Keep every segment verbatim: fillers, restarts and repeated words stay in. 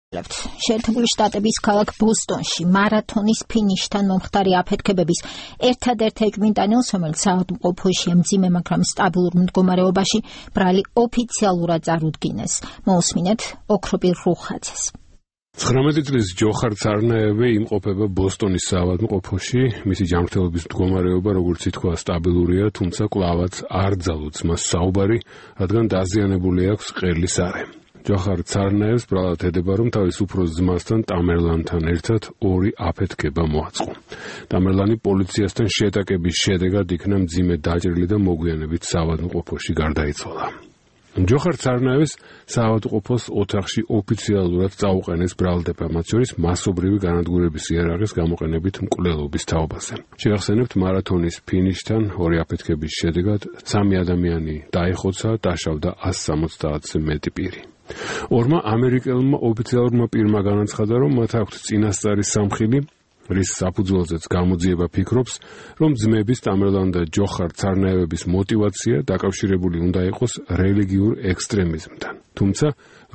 შეერთებული შტატების ქალაქ ბოსტონში მარათონის ფინიშთან მომხდარი აფეთქებების ერთადერთ ეჭვმიტანილს, რომელიც საავადმყოფოში მძიმე, მაგრამ სტაბილურ მდგომარეობაში ბრალი ოფიციალურად წარუდგინეს. მოусმინეთ ოქროპირ რუხაძეს. ცხრამეტი წლის ჯოხარ ცარნაევი იმყოფება ბოსტონის საავადმყოფოში. მისი ჯანმრთელობის მდგომარეობა, როგორც ითქვა, სტაბილურია, თუმცა კვლავაც არ ძალუძს მას საუბარი, რადგან დაზიანებული აქვს ყელის არე. ჯოხარ ცარნაევს ბრალად ედება, რომ თავის უფროს ძმასთან ტამერლანთან ერთად ორი აფეთქება მოაწყო. ტამერლანი პოლიციასთან შეტაკების შედეგად იქნა მძიმე დაჭრილი და მოგვიანებით საავადმყოფოში გარდაიცვალა. ჯოხარ ცარნაევს საავადმყოფოს ოთახში ოფიციალურად წაუყენეს ბრალდება, მათ შორის მასობრივი განადგურების იარაღის გამოყენებით მკვლელობის თაობაზე. შეგახსენებთ, მარათონის ფინიშთან ორი აფეთქების შედეგად სამი ადამიანი დაიხოცა, დაშავდა ასი სამოცდაათზე მეტი პირი. ორმა ამერიკელმა ოფიციალურმა პირმა განაცხადა, რომ მათ აქვთ წინასწარი სამხილი, რის საფუძველზეც გამოძიება ფიქრობს, რომ ძმების ტამერლან და ჯოხარ ცარნაევების мотивация დაკავშირებული უნდა იყოს რელიგიურ ექსტრემიზმთან. თუმცა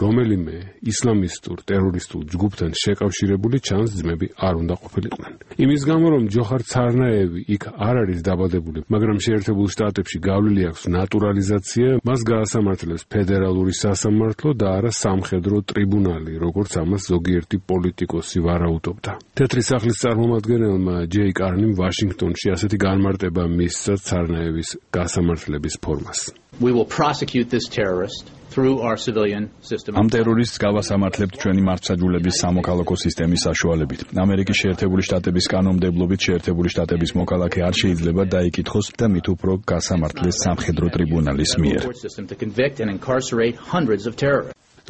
რომელიმე ისლამისტურ ტერორისტულ ჯგუფთან შეკავშირებული ჩანს ძმები არ უნდა ყოფილიყვნენ. იმის გამო, რომ ჯოხარ ცარნაევი იქ არ არის დაბადებული, მაგრამ შეერთებულ შტატებში გავლილი აქვს ნატურალიზაცია, მას გაასამართლებს ფედერალური სასამართლო და არა სამხედრო ტრიბუნალი, როგორც ამას ზოგიერთი პოლიტიკოსი ვარაუდობდა. თეთრი სახლის წარმომადგენელმა ჯეი კარნიმ ვაშინგტონში ასეთი განმარტება მისცა ცარნაევის გასამართლების ფორმას. We will prosecute this terrorist through our civilian system. Ამ ტერორისტს გავასამართლებთ ჩვენი მართლმსაჯულების სამოქალაქო სისტემის საშუალებით. ამერიკის შეერთებული შტატების კანონმდებლობით შეერთებული შტატების მოქალაქე არ შეიძლება დაიკითხოს და მით უფრო გასამართლეს სამხედრო ტრიბუნალის მიერ.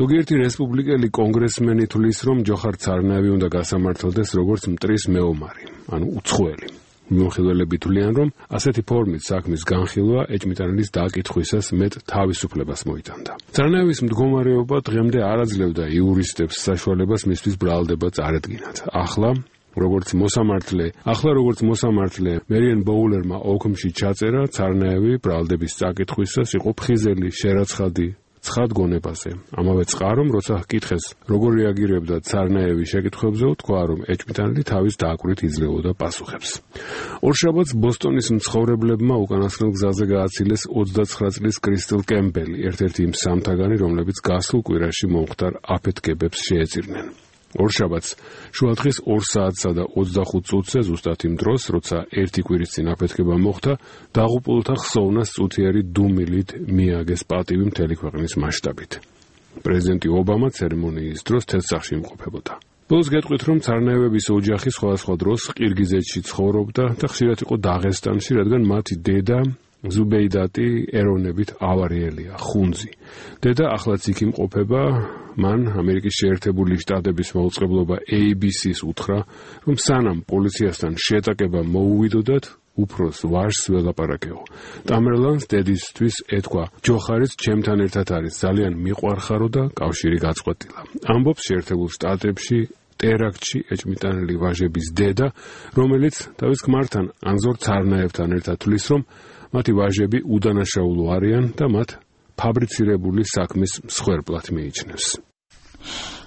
ზოგიერთი რესპუბლიკელი კონგრესმენი თვლის, რომ ჯოხარ ცარნაევი უნდა გასამართლდეს როგორც მტრის მეომარი, ანუ უცხოელი. მიმოხილველები თვლიან, რომ ასეთი ფორმით საქმის განხილვა ეჭვმიტანილის დაკითხვისას მეტ თავისუფლებას მოიტანდა. ცარნაევის მდგომარეობა დღემდე არ აძლევდა იურისტებს საშუალებას მისთვის ბრალდება წარედგინათ. ახლა როგორც მოსამართლე, ახლა როგორც მოსამართლე მერიენ ბოულერმა ოქმში ჩაწერა, ცარნაევი ბრალდების წაკითხვისას იყო ფხიზელი, შერაცხადი, ცხად გონებაზე. ამავე წყარომ, როცა ჰკითხეს, როგორ რეაგირებდა ცარნაევი შეკითხვებზე, თქვა, რომ ეჭვმიტანილი თავის დააკვირით იძლეოდა პასუხებს. ორშაბათს ბოსტონის მცხოვრებლებმა უკანასკნელ გზაზე გააცილეს ოცდაცხრა წლის კრისტელ კემპელი, ერთ-ერთი იმ სამთაგანი, რომლებიც გასულ კვირაში მომხდარ აფეთქებებს შეეწირნენ. ორშაბათს შუადღის ორ საათსა და ოცდახუთ წუთზე, ზუსტად იმ დროს, როცა ერთი კვირის წინ აფეთქება მოხდა, დაღუპულთა ხსოვნას წუთიერი დუმილით მიაგეს პატივი მთელი ქვეყნის მასშტაბით. პრეზიდენტი ობამა ცერემონიის დროს თეთრსახში იმყოფებოდა. ბოლოს გეტყვით, რომ ცარნაევების ოჯახი სხვადასხვა დროს ყირგიზეთში ცხოვრობდა და ხშირად იყო დაღესტანში, რადგან მათი დედა ზუბეიდატი ეროვნებით ავარიელია, ხუნძი. დედა ახლაც იქ იმყოფება, მან ამერიკის შეერთებული შტატების მაუწყებლობა ეი ბი სი-ს უთხრა, რომ სანამ პოლიციასთან შეტაკება მოუვიდოდათ, უფროს ვაჟს ველაპარაკეო. ტამერლანს დედისთვის ეთქვა, ჯოხარიც ჩემთან ერთად არის, ძალიან მიყვარხარო და კავშირი გაწყვეტილა. ამბობს შეერთებულ შტატებში ტერაქტში ეჭვმიტანილი ვაჟების დედა, რომელიც თავის ქმართან ანზორ ცარნაევთან ერთად თვლის, რომ მათი ვაჟები უდანაშაულო არიან და მათ ფაბრიცირებული საქმის მსხვერპლად მიიჩნევს.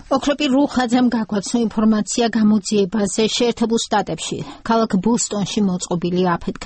ოქროპირ რუხაძემ გაგვაცნო ინფორმაცია გამოძიებაზე შეერთებულ შტატებში, ქალაქ ბოსტონში მოწყობილი აფეთქებების